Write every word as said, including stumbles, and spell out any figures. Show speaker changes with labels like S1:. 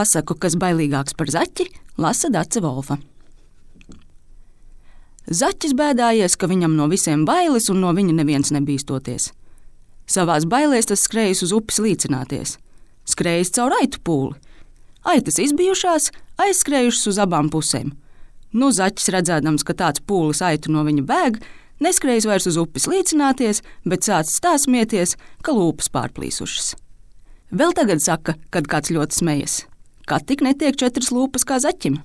S1: pasaku, kas bailīgāks par zaķi, lasa Dace Volfa. Zaķis bēdājies, ka viņam no visiem bailes un no viņa neviens nebīstoties. Savās bailēs tas skrējis uz upes līcināties. Skrējis caur aitu pūli. Aitas izbijušās, aizskrējušas uz abām pusēm. Nu, zaķis redzēdams, ka tāds pūlis aitu no viņa bēg, neskrējis vairs uz upes līcināties, bet sācis tā smieties, ka lūpas pārplīsušas. Vēl tagad saka, kad kāds ļoti smejas, ka tik netiek četras lūpas kā zaķim.